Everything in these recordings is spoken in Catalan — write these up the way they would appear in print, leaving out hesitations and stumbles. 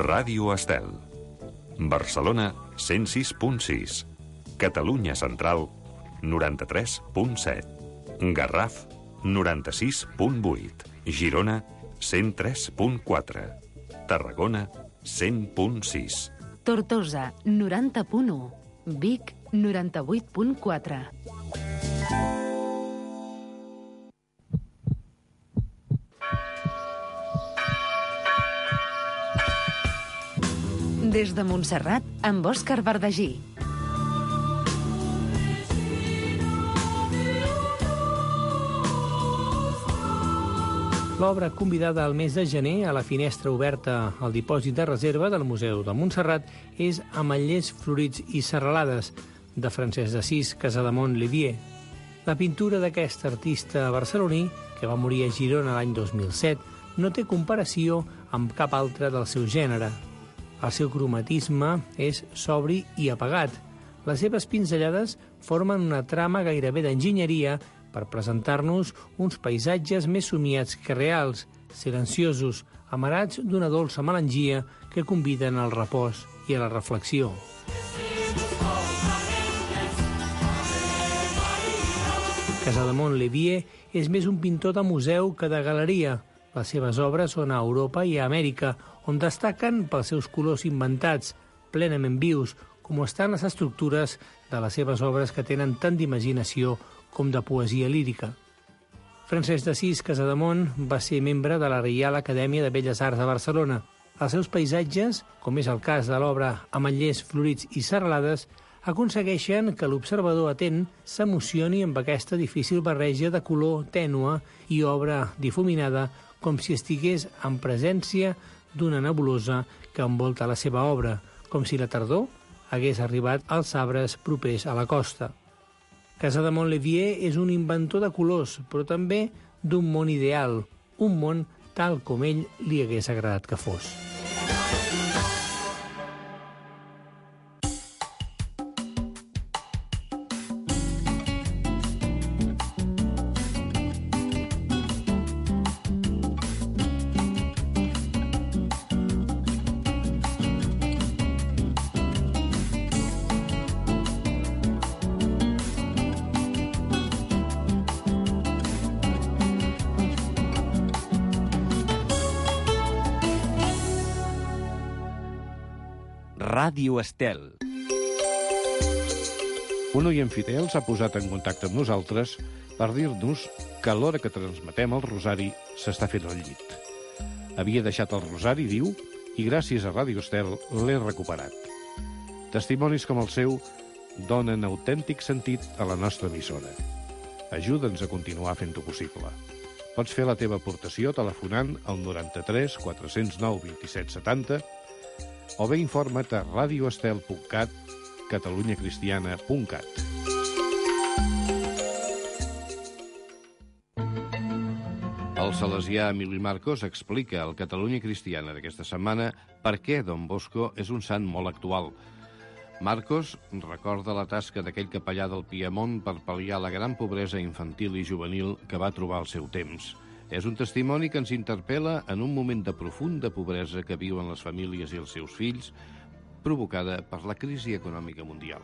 Ràdio Estel. Barcelona, 106.6. Catalunya Central, 93.7. Garraf, 96.8. Girona, 103.4. Tarragona, 100.6. Tortosa, 90.1. Vic, 98.4. Des de Montserrat, amb Òscar Bardagí. L'obra convidada al mes de gener a la finestra oberta al dipòsit de reserva del Museu de Montserrat és Ametllers florits i serralades, de Francesc d'Assís Casademont-Lévier. La pintura d'aquest artista barceloní, que va morir a Girona l'any 2007, no té comparació amb cap altre del seu gènere. El seu cromatisme és sobri i apagat. Les seves pinzellades formen una trama gairebé d'enginyeria per presentar-nos uns paisatges més somiats que reals, silenciosos, amarats d'una dolça melangia que conviden al repòs i a la reflexió. Casademont-Lévier és més un pintor de museu que de galeria. Les seves obres són a Europa i a Amèrica, on destaquen pels seus colors inventats, plenament vius, com estan les estructures de les seves obres que tenen tant d'imaginació com de poesia lírica. Francesc d'Assís Casademont va ser membre de la Reial Acadèmia de Belles Arts de Barcelona. Els seus paisatges, com és el cas de l'obra Ametllers florits i serralades, aconsegueixen que l'observador atent s'emocioni amb aquesta difícil barreja de color tènue i obra difuminada, com si estigués en presència d'una nebulosa que envolta la seva obra, com si la tardor hagués arribat als arbres propers a la costa. Casademont-Lévier és un inventor de colors, però també d'un món ideal, un món tal com ell li hagués agradat que fos. Ràdio Estel. Un oient fidel s'ha posat en contacte amb nosaltres per dir-nos que a l'hora que transmetem el rosari s'està fent el llit. Havia deixat el rosari, diu, i gràcies a Ràdio Estel l'he recuperat. Testimonis com el seu donen autèntic sentit a la nostra emissora. Ajuda'ns a continuar fent-ho possible. Pots fer la teva aportació telefonant al 93 409 27 70 o bé informa't a radioestel.cat, catalunyacristiana.cat. El salesià Emili Marcos explica al Catalunya Cristiana d'aquesta setmana per què Don Bosco és un sant molt actual. Marcos recorda la tasca d'aquell capellà del Piemont per pal·liar la gran pobresa infantil i juvenil que va trobar al seu temps. És un testimoni que ens interpel·la en un moment de profunda pobresa que viuen les famílies i els seus fills, provocada per la crisi econòmica mundial.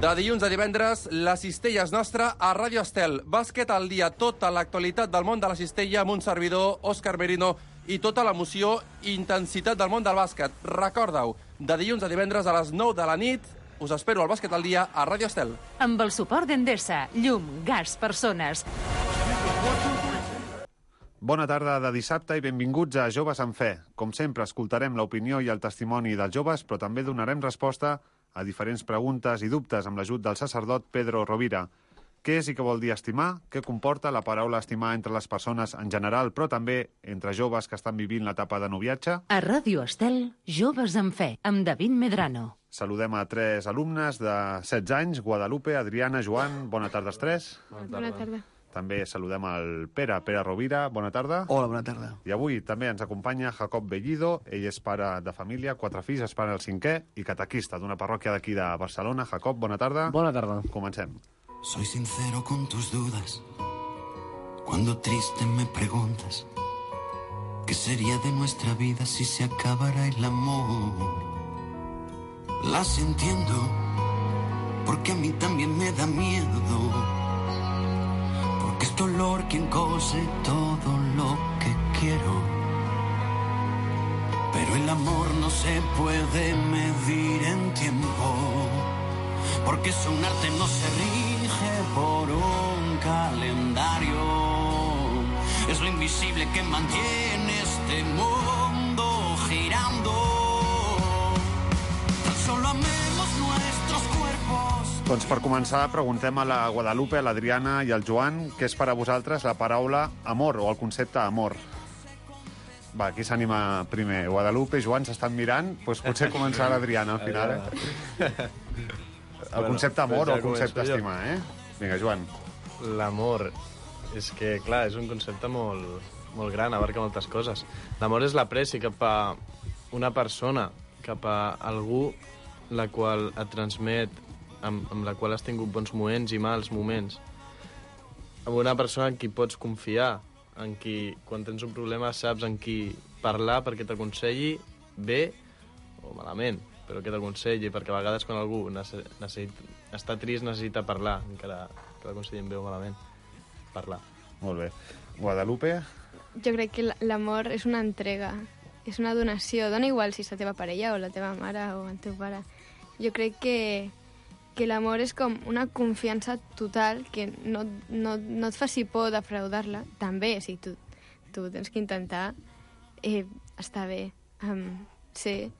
De dilluns a divendres, la cistella és nostra a Ràdio Estel. Bàsquet al dia, tota l'actualitat del món de la cistella amb un servidor, Òscar Merino, i tota l'emoció i intensitat del món del bàsquet. Recorda-ho, de dilluns a divendres a les 9 de la nit, us espero al Bàsquet al dia a Ràdio Estel. Amb el suport d'Endesa, llum, gas, persones. Bona tarda de dissabte i benvinguts a Joves en Fe. Com sempre, escoltarem l'opinió i el testimoni dels joves, però també donarem resposta a diferents preguntes i dubtes amb l'ajut del sacerdot Pedro Rovira. Què és i què vol dir estimar? Què comporta la paraula estimar entre les persones en general, però també entre joves que estan vivint l'etapa de noviatge? A Ràdio Estel, Joves en Fe, amb David Medrano. Saludem a 3 alumnes de 16 anys, Guadalupe, Adriana, Joan. Bona tarda als 3. Bona tarda. També saludem al Pere Rovira. Bona tarda. Hola, bona tarda. I avui també ens acompanya Jacob Bellido. Ell és pare de família, 4 fills, espera el 5è i catequista d'una parròquia d'aquí de Barcelona. Jacob, bona tarda. Bona tarda. Comencem. Soy sincero con tus dudas. Cuando triste me preguntas qué sería de nuestra vida si se acabara el amor. Las entiendo, porque a mí también me da miedo, porque es dolor quien cose todo lo que quiero. Pero el amor no se puede medir en tiempo, porque es un arte, no se rige por un calendario. Es lo invisible que mantiene este mundo girando. Tan solo amemos nuestros cuerpos. Doncs per començar, preguntem a la Guadalupe, a l'Adriana i al Joan què és per a vosaltres la paraula amor o el concepte amor. Va, qui s'anima primer? Guadalupe, Joan, s'estan mirant? Doncs potser començar l'Adriana al final, El concepte amor o el concepte estimar, Vinga, Joan. L'amor, és que, clar, és un concepte molt, molt gran, abarca moltes coses. L'amor és l'apreci cap a una persona, cap a algú la qual et transmet, amb la qual has tingut bons moments i mals moments. Amb una persona en qui pots confiar, en qui, quan tens un problema, saps en qui parlar perquè t'aconselli bé o malament, però que t'aconselli, perquè a vegades quan algú està trist necessita parlar, encara que l'aconsellin bé o malament, parlar. Molt bé. Guadalupe? Jo crec que l'amor és una entrega, és una donació. Dona igual si és la teva parella o la teva mare o el teu pare. Jo crec que l'amor és com una confiança total que no et faci por defraudar-la. També, si tu tens que intentar estar bé, ser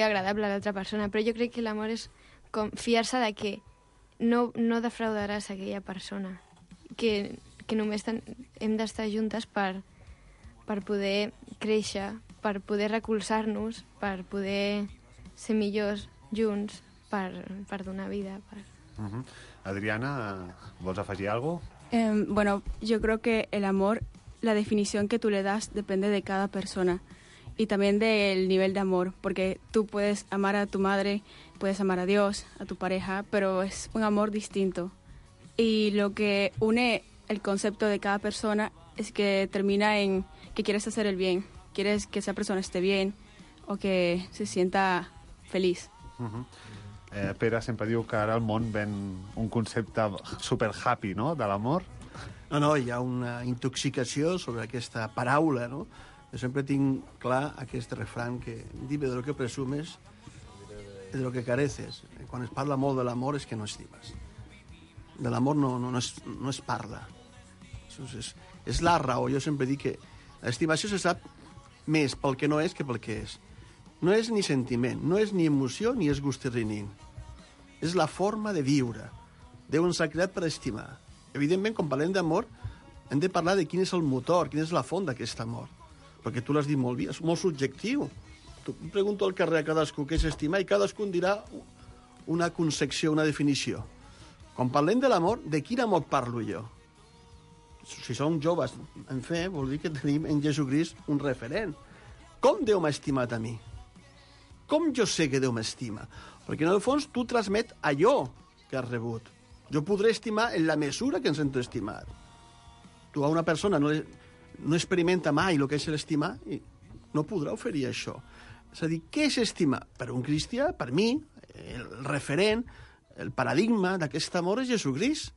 agradable a l'altra persona, però jo crec que l'amor és com fiar-se de que no defraudaràs aquella persona, que només hem d'estar juntes per poder créixer, per poder recolzar-nos, per poder ser millors junts, per donar vida. Adriana, ¿vols afegir algo? Bueno, yo creo que el amor, la definición que tú le das depende de cada persona y también del nivel de amor, porque tú puedes amar a tu madre, puedes amar a Dios, a tu pareja, pero es un amor distinto. Y lo que une el concepto de cada persona es que termina en que quieres hacer el bien, quieres que esa persona esté bien o que se sienta feliz. Pere sempre diu que ara al món ven un concepte super happy, no?, de l'amor. No, hi ha una intoxicació sobre aquesta paraula, no? Jo sempre tinc clar aquest refrán que dime de lo que presumes, de lo que careces. Quan es parla molt de l'amor és que no estimes. De l'amor no es parla. És la raó. Jo sempre dic que l'estimació se sap més pel que no és que pel que és. No és ni sentiment, no és ni emoció ni és gustirrinín. És la forma de viure. Déu ens ha creat per estimar. Evidentment, quan parlem d'amor, hem de parlar de quin és el motor, quina és la font d'aquest amor. Perquè tu l'has dit molt bé, és molt subjectiu. Tu pregunto al carrer a cadascú què és estimar i cadascú dirà una concepció, una definició. Quan parlem de l'amor, de quin amor parlo jo? Si som joves en fe, vol dir que tenim en Jesucrist un referent. Com Déu m'ha estimat a mi? Com jo sé que Déu m'estima? Perquè en el fons tu transmet allò que has rebut. Jo podré estimar en la mesura que ens hem estimat. Tu a una persona no experimenta mai el que és l'estimar i no podrà oferir això. És a dir, què és estimar? Per un cristià, per mi, el referent, el paradigma d'aquest amor és Jesucrist,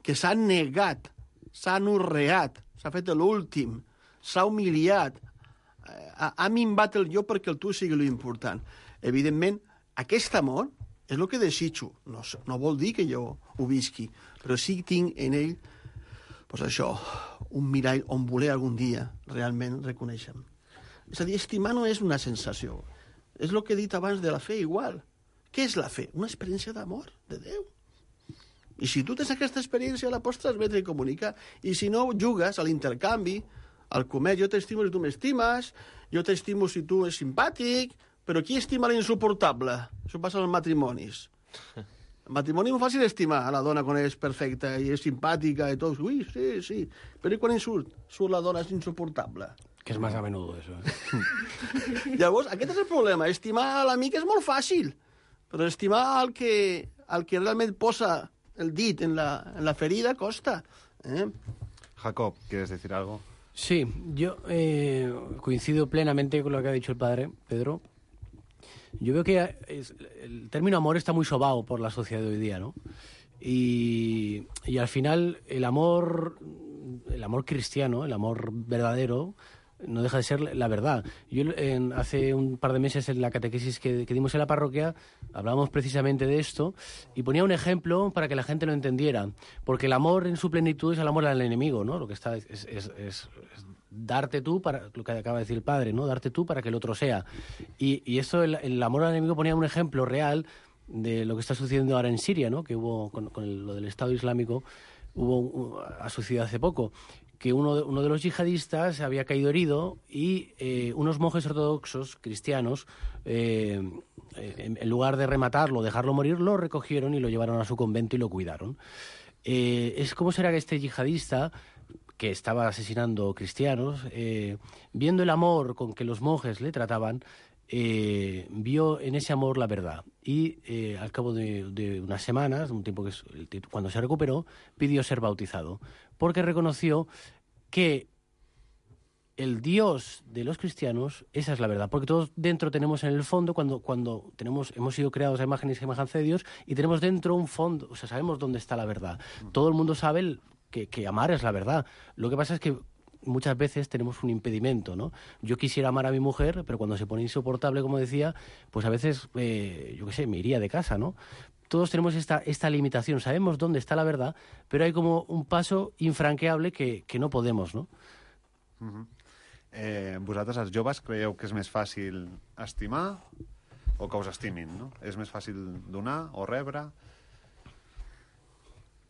que s'ha negat, s'ha anorreat, s'ha fet l'últim, s'ha humiliat, ha minvat el jo perquè el tu sigui l'important. Evidentment, aquest amor és el que desitjo. No vol dir que jo ho visqui, però sí que tinc en ell això, un mirall on voler algun dia realment reconèixer. És a dir, estimar no és una sensació. És el que he dit abans de la fe, igual. Què és la fe? Una experiència d'amor, de Déu. I si tu tens aquesta experiència, la pots transmetre i comunicar. I si no, jugues a l'intercanvi, al comerç. Jo t'estimo si tu m'estimes, jo t'estimo si tu ets simpàtic, però qui estima l'insuportable? Això passa als matrimonis. El matrimoni és fàcil estimar a la dona quan és perfecta i és simpàtica i tot. Ui, sí. Però quan surt la dona és insuportable. Que és més a menudo, això. Llavors, aquest és el problema. Estimar a l'amic és molt fàcil, però estimar el que realment posa el dit en la ferida costa. Jacob, ¿quieres decir algo? Sí, yo coincido plenamente con lo que ha dicho el padre, Pedro. Yo veo que el término amor está muy sobado por la sociedad de hoy día, ¿no? Y al final el amor cristiano, el amor verdadero, no deja de ser la verdad. Yo hace un par de meses en la catequesis que dimos en la parroquia hablábamos precisamente de esto y ponía un ejemplo para que la gente lo entendiera, porque el amor en su plenitud es el amor al enemigo, ¿no? Lo que está es darte tú para lo que acaba de decir el padre, ¿no? Darte tú para que el otro sea. Y esto el amor al enemigo ponía un ejemplo real de lo que está sucediendo ahora en Siria, ¿no? Que hubo con lo del Estado Islámico ha sucedido hace poco, que uno de los yihadistas había caído herido y unos monjes ortodoxos cristianos, en lugar de rematarlo, dejarlo morir, lo recogieron y lo llevaron a su convento y lo cuidaron. ¿Cómo será que este yihadista, que estaba asesinando cristianos, viendo el amor con que los monjes le trataban, vio en ese amor la verdad y al cabo de unas semanas, un tiempo cuando se recuperó, pidió ser bautizado porque reconoció que el Dios de los cristianos, esa es la verdad, porque todos dentro tenemos en el fondo, cuando hemos sido creados a imagen y semejanza de Dios y tenemos dentro un fondo, o sea, sabemos dónde está la verdad. Todo el mundo sabe que amar es la verdad. Lo que pasa es que muchas veces tenemos un impedimento, ¿no? Yo quisiera amar a mi mujer, pero cuando se pone insoportable, como decía, pues a veces, yo qué sé, me iría de casa, ¿no? Todos tenemos esta limitación, sabemos dónde está la verdad, pero hay como un paso infranqueable que no podemos, ¿no? Vosaltres, els joves, creieu que és més fàcil estimar o que us estimin, no? És més fàcil donar o rebre?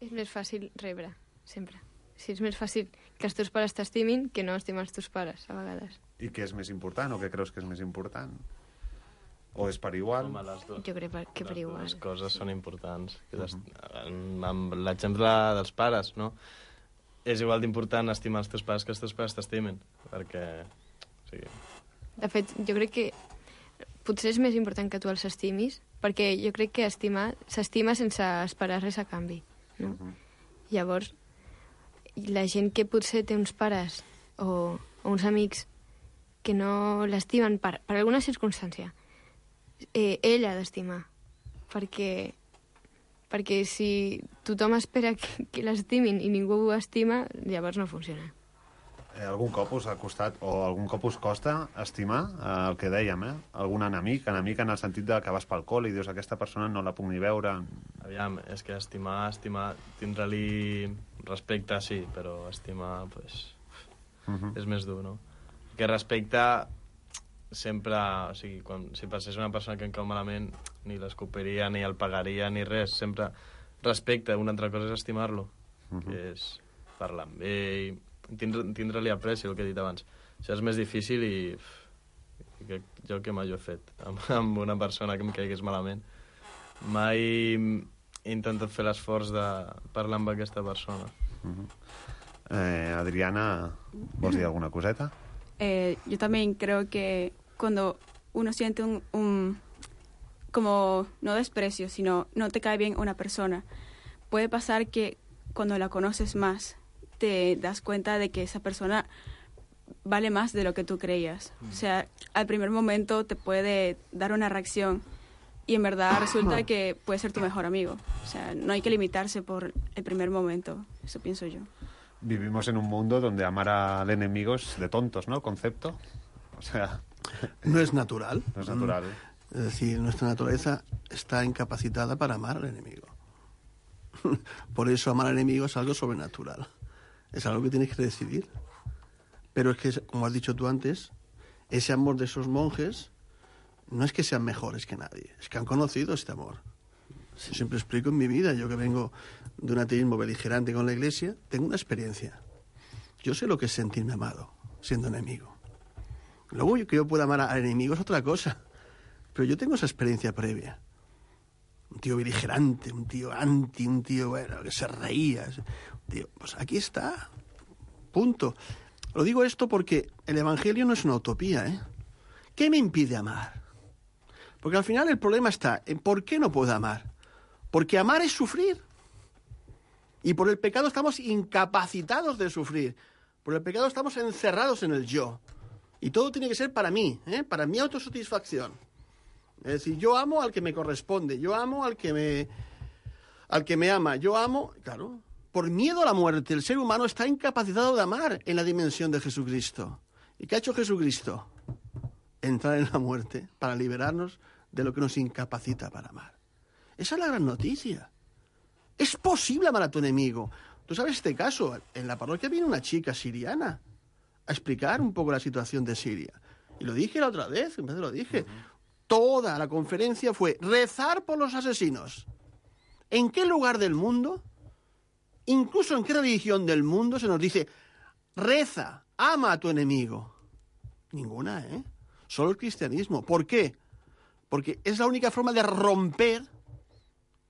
És més fàcil rebre, sempre. Sí, és més fàcil que els teus pares t'estimin que no estimar els teus pares, a vegades. I què és més important o què creus que és més important? O és per igual? Home, jo crec que per igual. Les coses són importants. Amb l'exemple dels pares, no? És igual d'important estimar els teus pares que els teus pares t'estimin, perquè... O sigui... De fet, jo crec que potser és més important que tu els estimis, perquè jo crec que s'estima sense esperar res a canvi, no? Llavors, la gent que potser té uns pares o uns amics que no l'estimen per alguna circumstància, ell ha d'estimar, perquè si tothom espera que l'estimin i ningú ho estima, llavors no funciona. Algun cop us ha costat o algun cop us costa estimar el que dèiem, algun enemic en el sentit de que vas pel col i dius aquesta persona no la puc ni veure? Aviam, és que estimar, tindre-li respecte, sí, però estimar, pues, és més dur, no? Perquè respecte sempre, o sigui, si passés una persona que em cau malament, ni l'escopiria, ni el pagaria, ni res, sempre respecte. Una altra cosa és estimar-lo, que és parlar amb ell, tindre-li apreci, el que he dit abans. Això és més difícil i jo que mai ho he fet amb una persona que em caigués malament. Mai he intentat fer l'esforç de parlar amb aquesta persona. Adriana, ¿vols dir alguna coseta? Yo también creo que cuando uno siente como no desprecio, sino no te cae bien una persona, puede pasar que cuando la conoces más te das cuenta de que esa persona vale más de lo que tú creías. O sea, al primer momento te puede dar una reacción y en verdad resulta que puede ser tu mejor amigo. O sea, no hay que limitarse por el primer momento, eso pienso yo. Vivimos en un mundo donde amar al enemigo es de tontos, ¿no? El concepto. O sea... No es natural. No es natural. Es decir, nuestra naturaleza está incapacitada para amar al enemigo. Por eso amar al enemigo es algo sobrenatural. Es algo que tienes que decidir. Pero es que, como has dicho tú antes, ese amor de esos monjes no es que sean mejores que nadie, es que han conocido este amor. Yo siempre explico en mi vida, yo que vengo de un ateísmo beligerante con la Iglesia, tengo una experiencia. Yo sé lo que es sentirme amado, siendo enemigo. Luego que yo pueda amar al enemigo es otra cosa, pero yo tengo esa experiencia previa. Un tío beligerante, un tío anti, un tío, bueno, que se reía. Tío, pues aquí está, punto. Lo digo esto porque el Evangelio no es una utopía, ¿eh? ¿Qué me impide amar? Porque al final el problema está en por qué no puedo amar. Porque amar es sufrir. Y por el pecado estamos incapacitados de sufrir. Por el pecado estamos encerrados en el yo. Y todo tiene que ser para mí, para mi autosatisfacción. Es decir, yo amo al que me corresponde, yo amo al que me ama, yo amo, claro, por miedo a la muerte, el ser humano está incapacitado de amar en la dimensión de Jesucristo. ¿Y qué ha hecho Jesucristo? Entrar en la muerte para liberarnos de lo que nos incapacita para amar. Esa es la gran noticia. Es posible amar a tu enemigo. Tú sabes este caso, en la parroquia viene una chica siriana a explicar un poco la situación de Siria. Y lo dije la otra vez, en vez de lo dije. Toda la conferencia fue rezar por los asesinos. ¿En qué lugar del mundo, incluso en qué religión del mundo se nos dice reza, ama a tu enemigo? Ninguna, Solo el cristianismo. ¿Por qué? Porque es la única forma de romper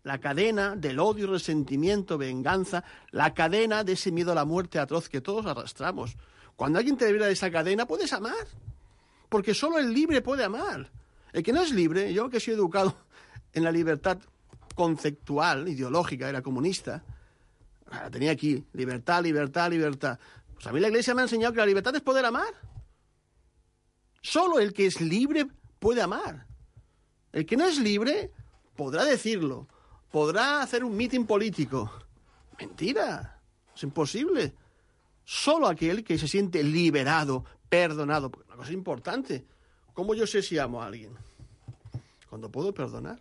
la cadena del odio, resentimiento, venganza, la cadena de ese miedo a la muerte atroz que todos arrastramos. Cuando alguien te libera de esa cadena, puedes amar. Porque solo el libre puede amar. El que no es libre, yo que soy educado en la libertad conceptual, ideológica, era comunista, la tenía aquí, libertad, libertad, libertad. Pues a mí la Iglesia me ha enseñado que la libertad es poder amar. Solo el que es libre puede amar. El que no es libre podrá decirlo, podrá hacer un mitin político. Mentira, es imposible. Solo aquel que se siente liberado, perdonado, porque una cosa importante, ¿cómo yo sé si amo a alguien? Cuando puedo perdonar.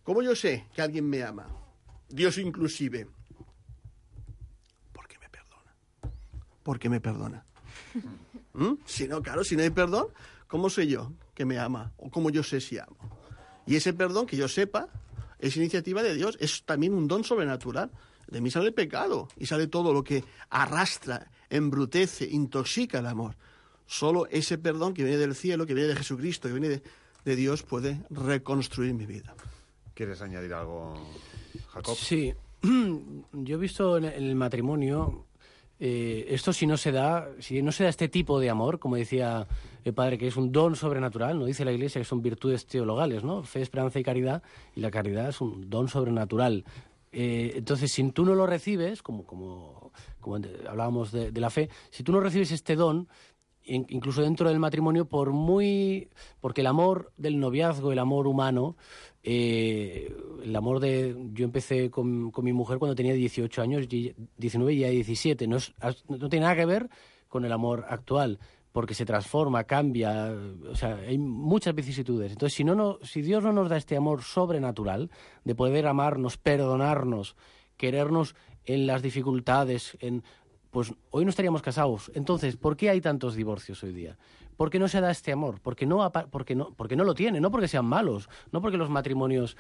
¿Cómo yo sé que alguien me ama? Dios inclusive. Porque me perdona. Porque me perdona. Si no, claro, si no hay perdón, ¿cómo sé yo que me ama? ¿O cómo yo sé si amo? Y ese perdón, que yo sepa, es iniciativa de Dios, es también un don sobrenatural. De mí sale el pecado y sale todo lo que arrastra, embrutece, intoxica el amor. Solo ese perdón que viene del cielo, que viene de Jesucristo, que viene de Dios, puede reconstruir mi vida. ¿Quieres añadir algo, Jacob? Sí, yo he visto en el matrimonio, esto si no se da este tipo de amor, como decía el padre, que es un don sobrenatural, ¿no? Dice la Iglesia que son virtudes teologales, ¿no? Fe, esperanza y caridad, y la caridad es un don sobrenatural. Entonces, si tú no lo recibes, como hablábamos de la fe, si tú no recibes este don, incluso dentro del matrimonio, porque el amor del noviazgo, el amor humano, yo empecé con mi mujer cuando tenía 18 años, 19 y ya 17, no tiene nada que ver con el amor actual, porque se transforma, cambia, o sea, hay muchas vicisitudes. Entonces, si Dios no nos da este amor sobrenatural de poder amarnos, perdonarnos, querernos en las dificultades, pues hoy no estaríamos casados. Entonces, ¿por qué hay tantos divorcios hoy día? ¿Por qué no se da este amor? Porque no lo tiene, no porque sean malos, no porque los matrimonios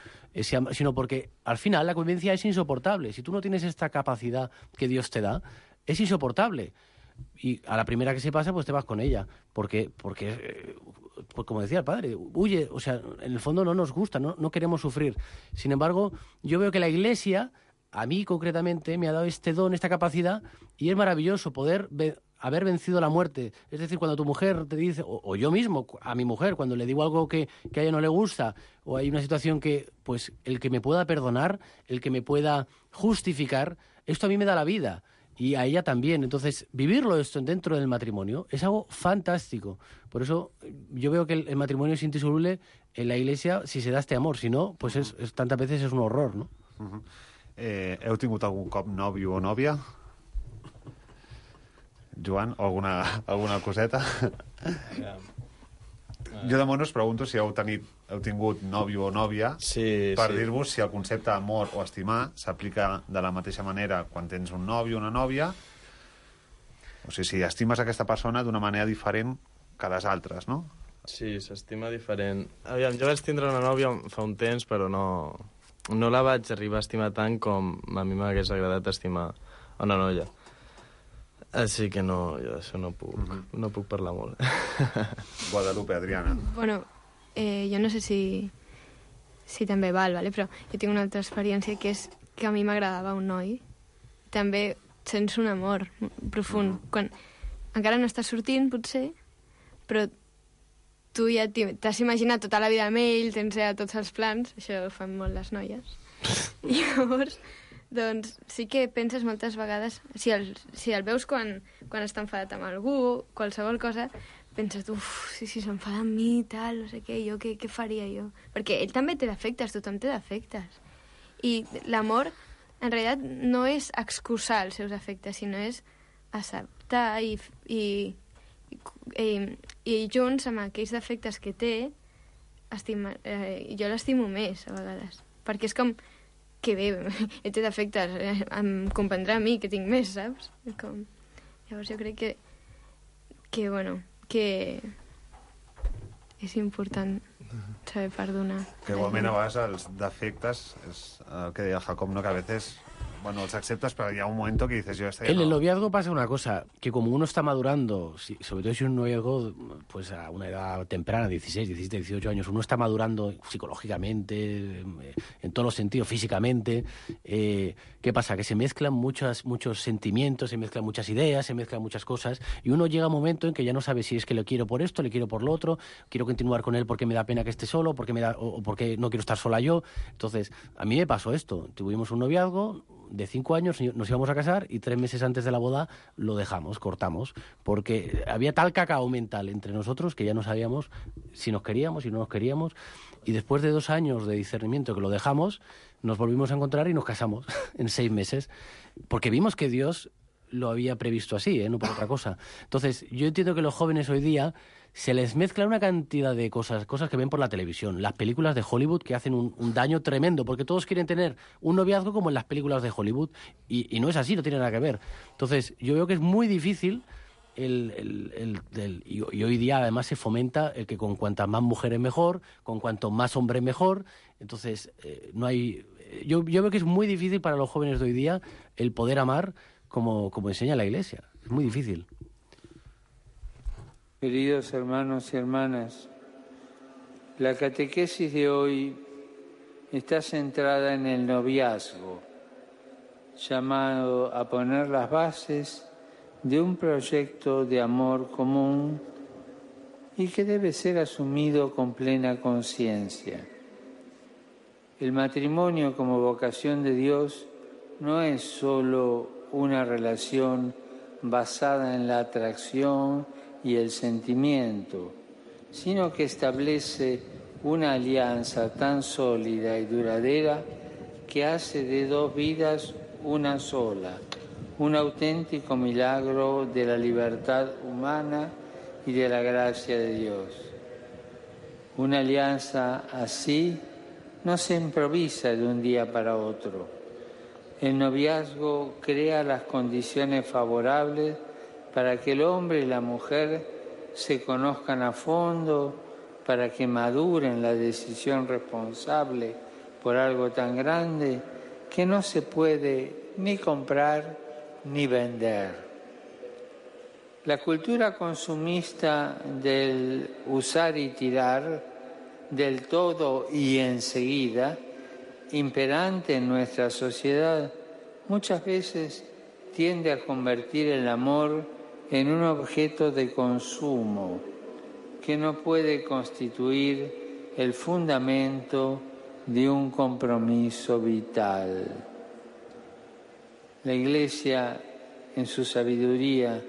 sino porque al final la convivencia es insoportable. Si tú no tienes esta capacidad que Dios te da, es insoportable. Y a la primera que se pasa, pues te vas con ella. Porque como decía el padre, huye, o sea, en el fondo no nos gusta, no queremos sufrir. Sin embargo, yo veo que la Iglesia, a mí concretamente, me ha dado este don, esta capacidad, y es maravilloso poder haber vencido la muerte. Es decir, cuando tu mujer te dice, o yo mismo, a mi mujer, cuando le digo algo que a ella no le gusta, o hay una situación que, pues, el que me pueda perdonar, el que me pueda justificar, esto a mí me da la vida. Y a ella también. Entonces, vivirlo esto dentro del matrimonio es algo fantástico. Por eso yo veo que el matrimonio es indisoluble en la Iglesia si se da este amor. Si no, pues tantas veces es un horror, ¿no? Heu tingut algun cop nòvio o nòvia? Joan, o alguna coseta? Jo de moment us pregunto si heu tingut nòvio o nòvia per dir-vos si el concepte amor o estimar s'aplica de la mateixa manera quan tens un nòvio o una nòvia, o sigui, si estimes aquesta persona d'una manera diferent que les altres, no? Sí, s'estima diferent. Aviam, jo vaig tindre una nòvia fa un temps, però no la vaig arribar a estimar tant com a mi m'hagués agradat estimar una noia. Així que no, jo d'això no puc parlar molt. Guadalupe, Adriana. Bueno, jo no sé si també val, ¿vale? Però jo tinc una altra experiència, que és que a mi m'agradava un noi. També sents un amor profund. Quan encara no estàs sortint, potser, però tu ja t'has imaginat tota la vida amb ell, tens ja tots els plans, això ho fan molt les noies. I llavors doncs sí que penses moltes vegades, si el veus quan està enfadat amb algú, qualsevol cosa, penses, si s'enfada amb mi, tal, no sé què, jo què faria jo? Perquè ell també té defectes, tothom té defectes. I l'amor, en realitat, no és excusar els seus defectes, sinó és acceptar i junts amb aquells defectes que té, jo l'estimo més, a vegades. Perquè és com, que bé, ell té defectes, em comprendrà a mi, que tinc més, saps? Llavors jo crec que és important saber perdonar. Que igualment a vegades els defectes, és el que deia Jacob, ¿no? Que a veces, bueno, los aceptas, pero ya un momento que dices, yo estoy... En el noviazgo pasa una cosa, que como uno está madurando, sobre todo si es un noviazgo pues a una edad temprana, 16, 17, 18 años, uno está madurando psicológicamente, en todos los sentidos, físicamente. ¿Qué pasa? Que se mezclan muchos sentimientos, se mezclan muchas ideas, se mezclan muchas cosas, y uno llega a un momento en que ya no sabe si es que le quiero por esto, le quiero por lo otro, quiero continuar con él porque me da pena que esté solo, o porque no quiero estar sola yo. Entonces, a mí me pasó esto. Tuvimos un noviazgo de 5 años, nos íbamos a casar y 3 meses antes de la boda lo dejamos, cortamos, porque había tal cacao mental entre nosotros que ya no sabíamos si nos queríamos, si no nos queríamos, y después de 2 años de discernimiento que lo dejamos, nos volvimos a encontrar y nos casamos en 6 meses, porque vimos que Dios lo había previsto así, no por otra cosa. Entonces, yo entiendo que los jóvenes hoy día se les mezcla una cantidad de cosas que ven por la televisión, las películas de Hollywood que hacen un daño tremendo, porque todos quieren tener un noviazgo como en las películas de Hollywood, y no es así, no tiene nada que ver. Entonces, yo veo que es muy difícil y hoy día además se fomenta el que con cuantas más mujeres mejor, con cuanto más hombres mejor. Entonces, no hay... Yo veo que es muy difícil para los jóvenes de hoy día el poder amar como enseña la Iglesia. Es muy difícil. Queridos hermanos y hermanas, la catequesis de hoy está centrada en el noviazgo, llamado a poner las bases de un proyecto de amor común y que debe ser asumido con plena conciencia. El matrimonio como vocación de Dios no es solo una relación basada en la atracción y el sentimiento, sino que establece una alianza tan sólida y duradera que hace de 2 vidas una sola, un auténtico milagro de la libertad humana y de la gracia de Dios. Una alianza así no se improvisa de un día para otro. El noviazgo crea las condiciones favorables para que el hombre y la mujer se conozcan a fondo, para que maduren la decisión responsable por algo tan grande que no se puede ni comprar ni vender. La cultura consumista del usar y tirar, del todo y enseguida, imperante en nuestra sociedad, muchas veces tiende a convertir el amor en un objeto de consumo que no puede constituir el fundamento de un compromiso vital. La Iglesia, en su sabiduría,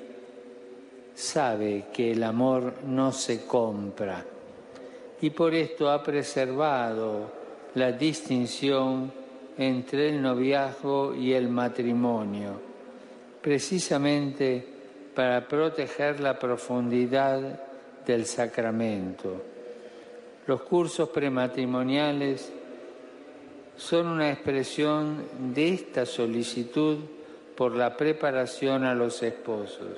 sabe que el amor no se compra y por esto ha preservado la distinción entre el noviazgo y el matrimonio, precisamente para proteger la profundidad del sacramento. Los cursos prematrimoniales son una expresión de esta solicitud por la preparación a los esposos.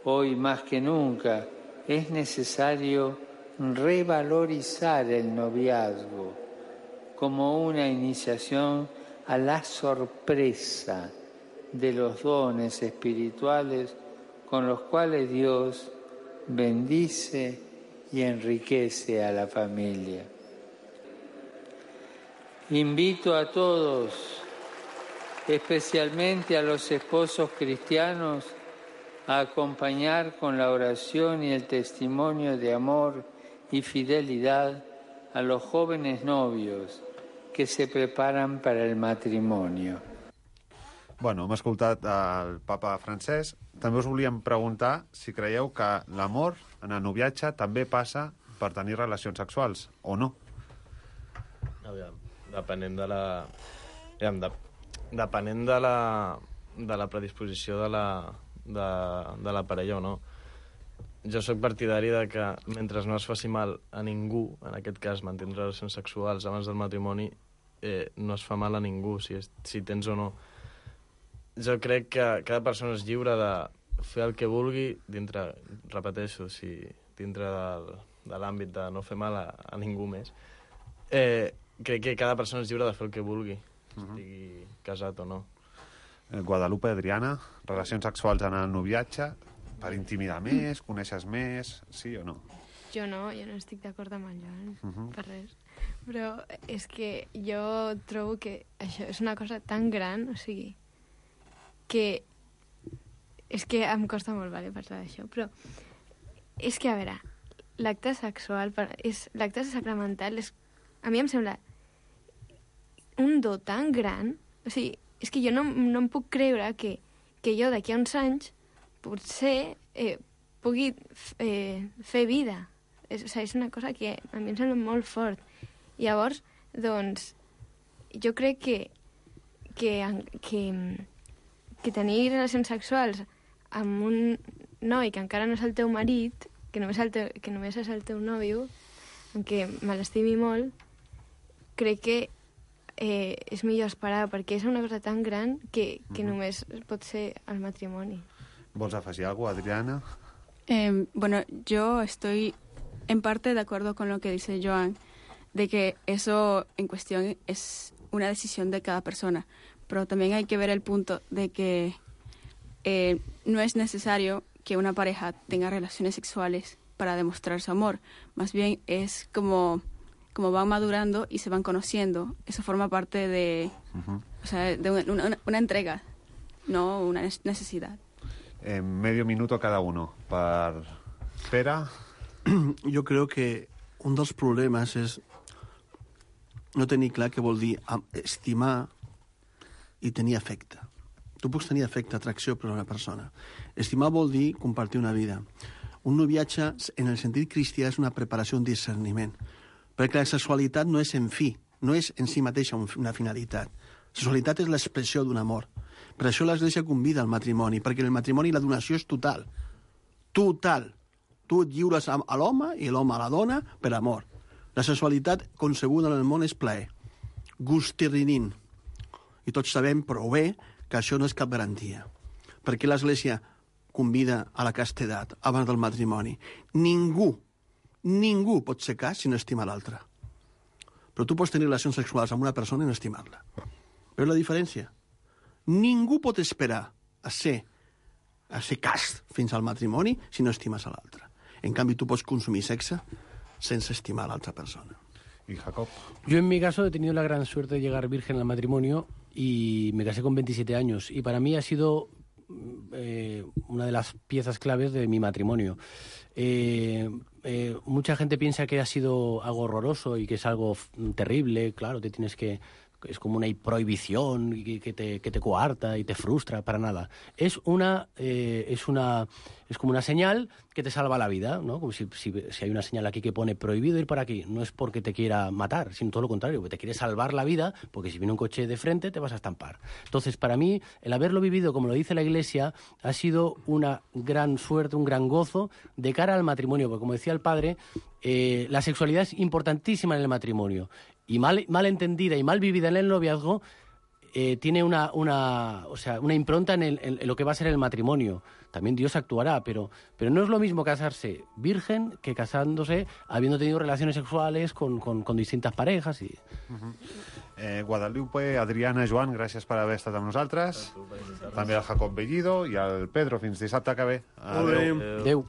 Hoy más que nunca es necesario revalorizar el noviazgo como una iniciación a la sorpresa de los dones espirituales con los cuales Dios bendice y enriquece a la familia. Invito a todos, especialmente a los esposos cristianos, a acompañar con la oración y el testimonio de amor y fidelidad a los jóvenes novios que se preparan para el matrimonio. Bueno, hem escoltat el papa francès. També us volíem preguntar si creieu que l'amor en el noviatge també passa per tenir relacions sexuals, o no? Aviam, depenent de la... Depenent de la predisposició de la parella o no. Jo sóc partidari de que mentre no es faci mal a ningú, en aquest cas mantenir relacions sexuals abans del matrimoni, no es fa mal a ningú, si tens o no. Jo crec que cada persona és lliure de fer el que vulgui dintre, repeteixo, dintre de l'àmbit de no fer mal a ningú més. Crec que cada persona és lliure de fer el que vulgui, estigui casat o no. Guadalupe, Adriana, relacions sexuals en el noviatge, per intimidar més, coneixes més, sí o no? Jo no estic d'acord amb el Joan, per res. Però és que jo trobo que això és una cosa tan gran, o sigui, que és que em costa molt parlar d'això, però és que, a veure, l'acte sexual, l'acte sacramental, a mi em sembla un do tan gran, o sigui, és que jo no em puc creure que jo d'aquí a uns anys potser pugui fer vida. És una cosa que a mi em sembla molt fort. Llavors, doncs, jo crec que tenir relacions sexuals amb un noi que encara no és el teu marit, que només és el teu nòvio, en què me l'estimi molt, crec que és millor esperar, perquè és una cosa tan gran que només pot ser el matrimoni. ¿Vols afegir algo, Adriana? Bueno, yo estoy en parte de acuerdo con lo que dice Joan, de que eso en cuestión es una decisión de cada persona, pero también hay que ver el punto de que no es necesario que una pareja tenga relaciones sexuales para demostrar su amor, más bien es como van madurando y se van conociendo, eso forma parte de, o sea, de una entrega, no una necesidad. Medio minuto cada uno. Per Pere? Jo crec que un dels problemes és no tenir clar què vol dir estimar i tenir afecte. Tu pots tenir afecte, atracció per una persona. Estimar vol dir compartir una vida. Un noviatge, en el sentit cristià, és una preparació, un discerniment. Perquè la sexualitat no és en fi, no és en si mateixa una finalitat. La sexualitat és l'expressió d'un amor. Per això l'Església convida al matrimoni, perquè en el matrimoni la donació és total. Total. Tu et lliures a l'home i l'home a la dona per amor. La sexualitat concebuda en el món és plaer. Gustirrinin. I tots sabem prou bé que això no és cap garantia. Perquè l'Església convida a la castedat abans del matrimoni. Ningú pot ser cas si no estima l'altre. Però tu pots tenir relacions sexuals amb una persona i no estimar-la. Veus la diferència? Ningú pot esperar a ser cast fins al matrimoni si no estimes a l'altre. En canvi, tu pots consumir sexe sense estimar a l'altra persona. ¿Y Jacob? Yo en mi caso he tenido la gran suerte de llegar virgen al matrimonio y me casé con 27 años. Y para mí ha sido una de las piezas claves de mi matrimonio. Mucha gente piensa que ha sido algo horroroso y que es algo terrible. Claro, te tienes que... Es como una prohibición que te coarta y te frustra, para nada. Es como una señal que te salva la vida, ¿no? Como si hay una señal aquí que pone prohibido ir por aquí. No es porque te quiera matar, sino todo lo contrario, porque te quiere salvar la vida, porque si viene un coche de frente te vas a estampar. Entonces, para mí, el haberlo vivido, como lo dice la Iglesia, ha sido una gran suerte, un gran gozo de cara al matrimonio, porque como decía el padre, la sexualidad es importantísima en el matrimonio. Y mal entendida y mal vivida en el noviazgo, tiene una impronta en lo que va a ser el matrimonio. También Dios actuará, pero no es lo mismo casarse virgen que casándose habiendo tenido relaciones sexuales con distintas parejas. Guadalupe, Adriana, Joan, gràcies per haver estat amb nosaltres. També al Jacob Bellido i al Pedro. Fins dissabte que ve. Adéu. Adéu.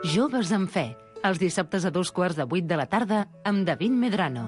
Joves en Fe, els dissabtes a 2:15 de la tarda amb David Medrano.